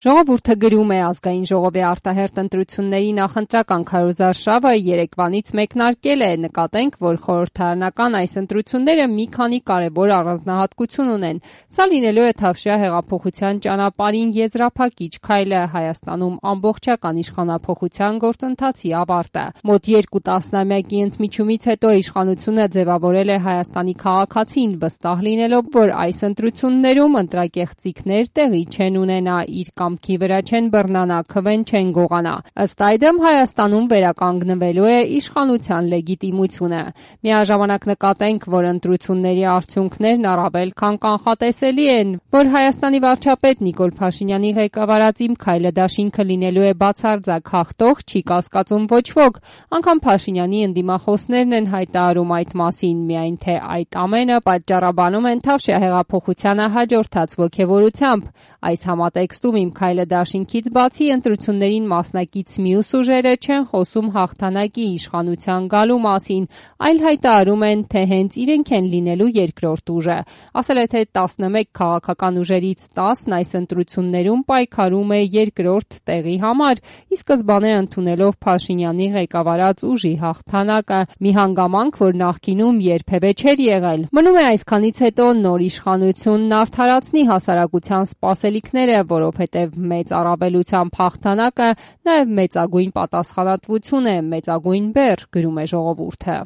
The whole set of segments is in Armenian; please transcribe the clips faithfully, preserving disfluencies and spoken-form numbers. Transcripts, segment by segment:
Ժողովուրդը գրում է ազգային ժողովի արտահերթ ընտրությունների նախընտրական քարոզարշավը երեկվանից մեկնարկել է, նկատենք, որ խորհրդարանական այս ընտրությունները մի քանի կարևոր առանձնահատկություն ունեն։ Սա լինելու է Թավշյա հեղափոխության ճանապարհին եզրափակիչ քայլը, Հայաստանում ամբողջական իշխանափոխության գործընթացի ավարտը։ Մոտ երկու տասնամյակի ընդմիջումից հետո իշխանությունը ձևավորել է Հայաստանի քաղաքացին, վստահ լինելով, որ այս ընտրություններում ընտրակեղծիքներ տեղի չեն ունենա, իր կամքի վրա չեն բռնանա, քվեն չեն գողանա։ Ըստ այդմ Հայաստանում վերականգնվելու է իշխանության լեգիտիմությունը։ Միաժամանակ նկատենք, որ ընտրությունների արդյունքներն առավել քան կանխատեսելի են, որ Հայաստանի վարչապետ Նիկոլ Փաշինյանի ղեկավարած Իմ քայլը դաշինքը լինելու է բացարձակ հաղթող, չի կասկածում ոչ ոք, անգամ Փաշինյանի ընդդիմախոսներն են հայտարարում այդ մասին, միայն թե այդ ամենը պատճառաբանում են Թավշյա հեղափոխությանը հաջորդած ոգևորությամբ։ Այս համատեքստում Իմ քայլը դաշինքից բացի ընտրություններին մասնակից մյուս ուժերը չեն խոսում հաղթանակի իշխանության գալու մասին, այլ հայտարարում են, թե հենց իրենք են լինելու երկրորդ ուժը։ Ասել է, թե տասնմեկ քաղաքական ուժերից տասն այս ընտրություններում պայքարում է երկրորդ տեղի համար, ի սկզբանե ընդունելով Փաշինյանի ղեկավարած ուժի հաղթանակը, մի հանգամանք, որ նախկինում երբևէ չէր եղել։ Մնում է այսքանից հետո նոր իշխանությունն արդարացնի հասարակության սպասելիքները, որովհետև մեծ առավելությամբ հաղթանակը նաև մեծագույն պատասխանատվություն է, մեծագույն բեռ, գրում է Ժողովուրդը։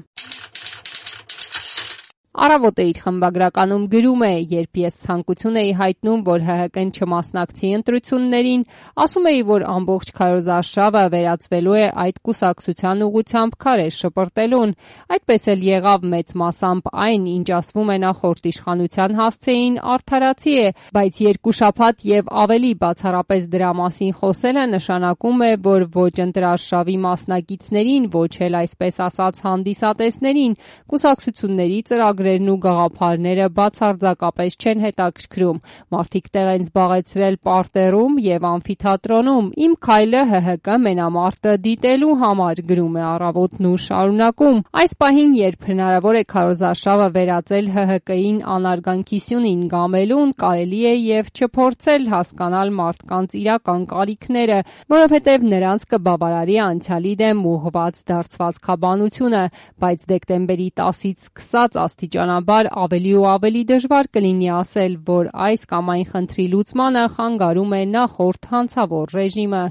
Առավոտը իր խմբագրականում գրում է. «Երբ ես ցանկություն էի հայտնում, որ ՀՀԿ-ն չմասնակցի ընտրություններին, ասում էի, որ ամբողջ քարոզարշավը վերածվելու է այդ կուսակցության ուղղությամբ քարեր շպրտելուն։ Այդպես էլ եղավ, մեծ մասամբ այն, ինչ ասվում է նախորդ իշխանության հասցեին, արդարացի է, բայց երկու շաբաթ եւ ավելի բացառապես դրա մասին խոսելը նշանակում է, որ ոչ ընտրարշավի մասնակիցներին, ոչ էլ այսպես ասած հանդիսատեսներին կուսակցությունների ծրագրերն ու գաղափարները բացարձակապես չեն հետաքրքրում։ Մարդիկ տեղ են զբաղեցրել պարտերում եւ ամֆիթատրոնում, Իմ քայլը ՀՀԿ մենամարտը դիտելու համար», գրում է Առավոտն ու շարունակում. «Այս պահին, երբ հնարավոր է քարոզարշավը վերածել ՀՀԿ-ին անարգանքի սյունին գամելուն, կարելի է եւ չփորձել հասկանալ մարդկանց իրական կարիքները, որովհետեւ նրանց կբավարարի անցյալի դեմ ուղղված դարձվածքաբանությունը, բայց դեկտեմբերի տասից սկսած աստիճանաբար ավելի ու ավելի դժվար կլինի ասել, որ այս կամ այն խնդրի լուծմանը խանգարում է նախորդ հանցավոր ռեժիմը»,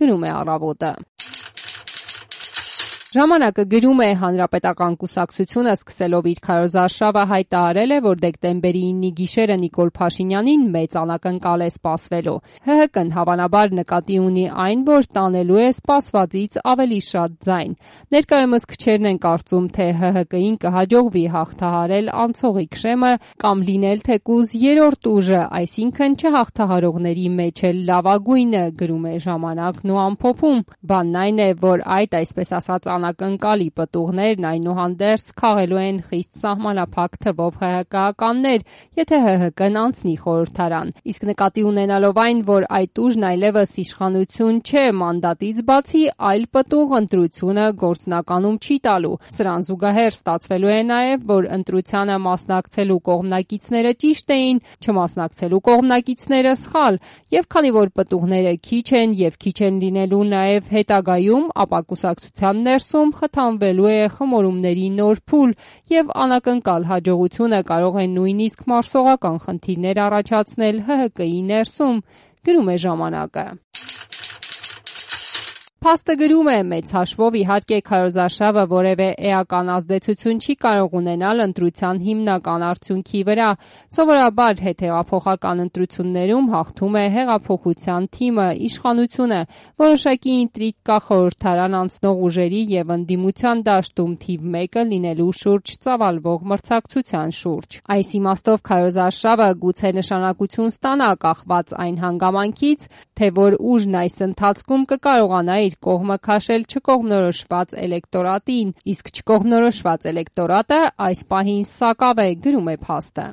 գրում է Առավոտը։ Ժամանակը գրում է. «Հանրապետական կուսակցությունը սկսելով իր քարոզարշավը հայտարարել է, որ դեկտեմբերի իննի գիշերը Նիկոլ Փաշինյանին մեծ անակնկալ է սպասվելու։ ՀՀԿ-ն հավանաբար նկատի ունի այն, որ տանելու է սպասվածից ավելի շատ ձայն։ Ներկայումս քչերն են կարծում, թե ՀՀԿ-ին կհաջողվի հաղթահարել անցողիկ շեմը կամ լինել թեկուզ երրորդ ուժը, այսինքն չհաղթահարողների մեջ էլ լավագույնը», գրում է Ժամանակն ու ամփոփում. «Բանն այն է, որ այդ այսպես ասած անակնկալի պտուղներն այնուհանդերձ քաղելու են խիստ սահմանափակ թվով ՀՀԿ-ականներ, եթե ՀՀԿ-ն անցնի խորհրդարան։ Իսկ նկատի ունենալով այն, որ այդ ուժն այլևս իշխանություն չէ, մանդատից բացի այլ պտուղ ընտրությունը գործնականում չի տալու։ Սրան զուգահեռ ստացվելու է նաև, որ ընտրությանը մասնակցելու կողմնակիցները ճիշտ էին, չմասնակցելու կողմնակիցները սխալ, եւ քանի որ պտուղները քիչ են եւ քիչ են լինելու նաև հետագայում, ապա կուսակցության ներսում խթանվելու է խմորումների նոր փուլ եւ անակնկալ հաջողությունը կարող է նույնիսկ մարսողական խնդիրներ առաջացնել ՀՀԿ-ի ներսում», գրում է Ժամանակը։ Փաստը գրում է. «Մեծ հաշվով իհարկե քարոզարշավը որևէ էական ազդեցություն չի կարող ունենալ ընտրության հիմնական արդյունքի վրա։ Սովորաբար հետհեղափոխական ընտրություններում հաղթում է հեղափոխության թիմը, իշխանությունը։ Որոշակի ինտրիգ կա խորհրդարան անցնող ուժերի եւ ընդդիմության դաշտում թիվ մեկը լինելու շուրջ ծավալվող մրցակցության շուրջ։ Այս իմաստով քարոզարշավը գուցե նշանակություն ստանա կախված այն հանգամանքից, թե որ ուժն այս ընթացքում կկարողանա իր կողմը քաշել չկողմնորոշված էլեկտորատին, իսկ չկողմնորոշված էլեկտորատը այս պահին սակավ է, գրում է Փաստը։